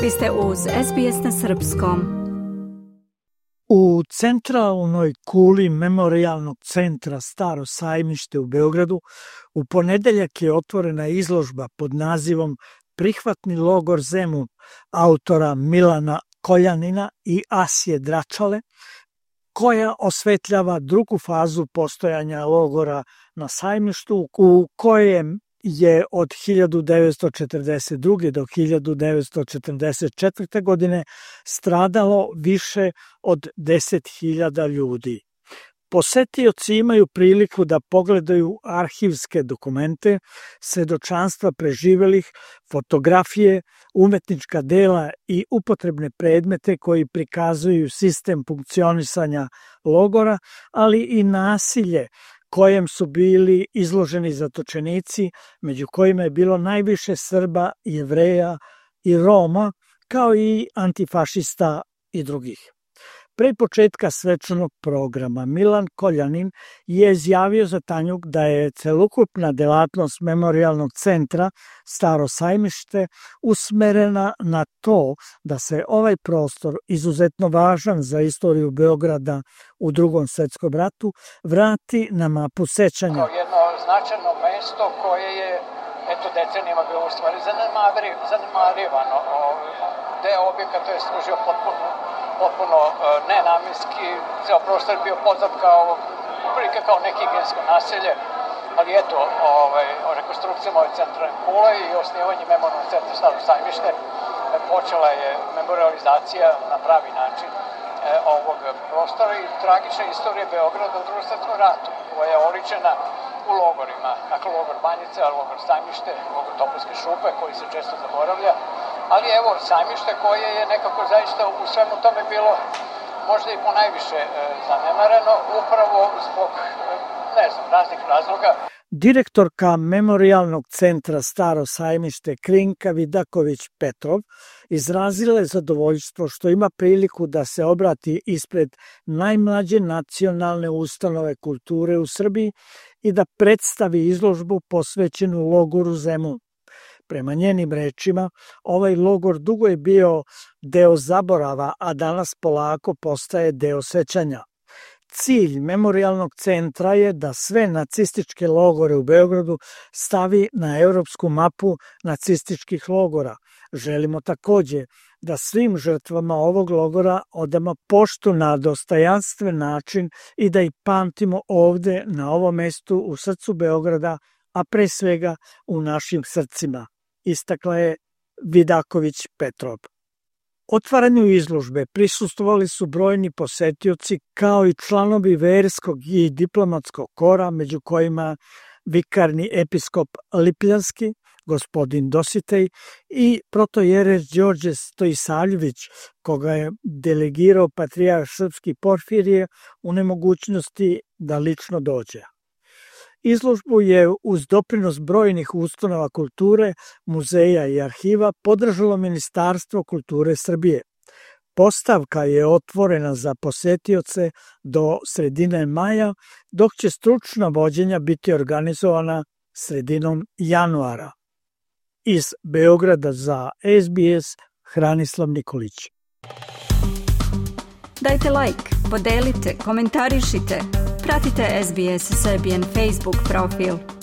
Vi ste uz SBS na srpskom. U centralnoj kuli Memorijalnog centra Staro sajmište u Beogradu u ponedeljak je otvorena izložba pod nazivom Prihvatni logor Zemun autora Milana Koljanina i Asije Dračale, koja osvetljava drugu fazu postojanja logora na sajmištu u kojem je od 1942. do 1944. godine stradalo više od 10.000 ljudi. Posetioci imaju priliku da pogledaju arhivske dokumente, svedočanstva preživelih, fotografije, umetnička dela i upotrebne predmete koji prikazuju sistem funkcionisanja logora, ali i nasilje kojem su bili izloženi zatočenici, među kojima je bilo najviše Srba, Jevreja i Roma, kao i antifašista i drugih. Pre početka svečanog programa Milan Koljanin je izjavio za Tanjug da je celokupna delatnost Memorijalnog centra Staro sajmište usmerena na to da se ovaj prostor, izuzetno važan za istoriju Beograda u Drugom svetskom ratu, vrati na mapu sećanja. Kao jedno značajno mesto koje je decenijama bilo u stvari zanemarivano. Deo objekata je služio potpuno nenamenski, ceo prostor je bio poznat kao nehigijensko naselje, ali rekonstrukcijama ove centralne kule i osnivanje Memorijalnog centra Staro sajmište počela je memorializacija na pravi način ovog prostora i tragična istorija Beograda u Drugom svetskom ratu, koja je oličena u logorima, dakle logor Banjica, logor Sajmište, logor Topovske šupe, koji se često zaboravlja, ali evo sajmište koje je nekako zaista u svemu tome bilo možda i ponajviše zanemareno, upravo zbog, raznih razloga. Direktorka Memorijalnog centra Staro sajmište Krinka Vidaković-Petrov izrazila je zadovoljstvo što ima priliku da se obrati ispred najmlađe nacionalne ustanove kulture u Srbiji i da predstavi izložbu posvećenu logoru Zemun. Prema njenim rečima, ovaj logor dugo je bio deo zaborava, a danas polako postaje deo sećanja. Cilj Memorijalnog centra je da sve nacističke logore u Beogradu stavi na evropsku mapu nacističkih logora. Želimo takođe da svim žrtvama ovog logora odamo poštu na dostojanstven način i da ih pamtimo ovde, na ovom mestu, u srcu Beograda, a pre svega u našim srcima, istakla je Vidaković-Petrov. Otvaranju izložbe prisustvovali su brojni posetioci kao i članovi verskog i diplomatskog kora, među kojima vikarni episkop Lipljanski, gospodin Dositej i protojereč Đorđe Stojisavljević, koga je delegirao patrijarh srpski Porfirije u nemogućnosti da lično dođe. Izložbu je uz doprinos brojnih ustanova kulture, muzeja i arhiva podržalo Ministarstvo kulture Srbije. Postavka je otvorena za posetioce do sredine maja, dok će stručna vođenja biti organizovana sredinom januara. Iz Beograda za SBS, Hranislav Nikolić. Dajte like, podelite, komentarišite. Pratite SBS Serbian Facebook profil.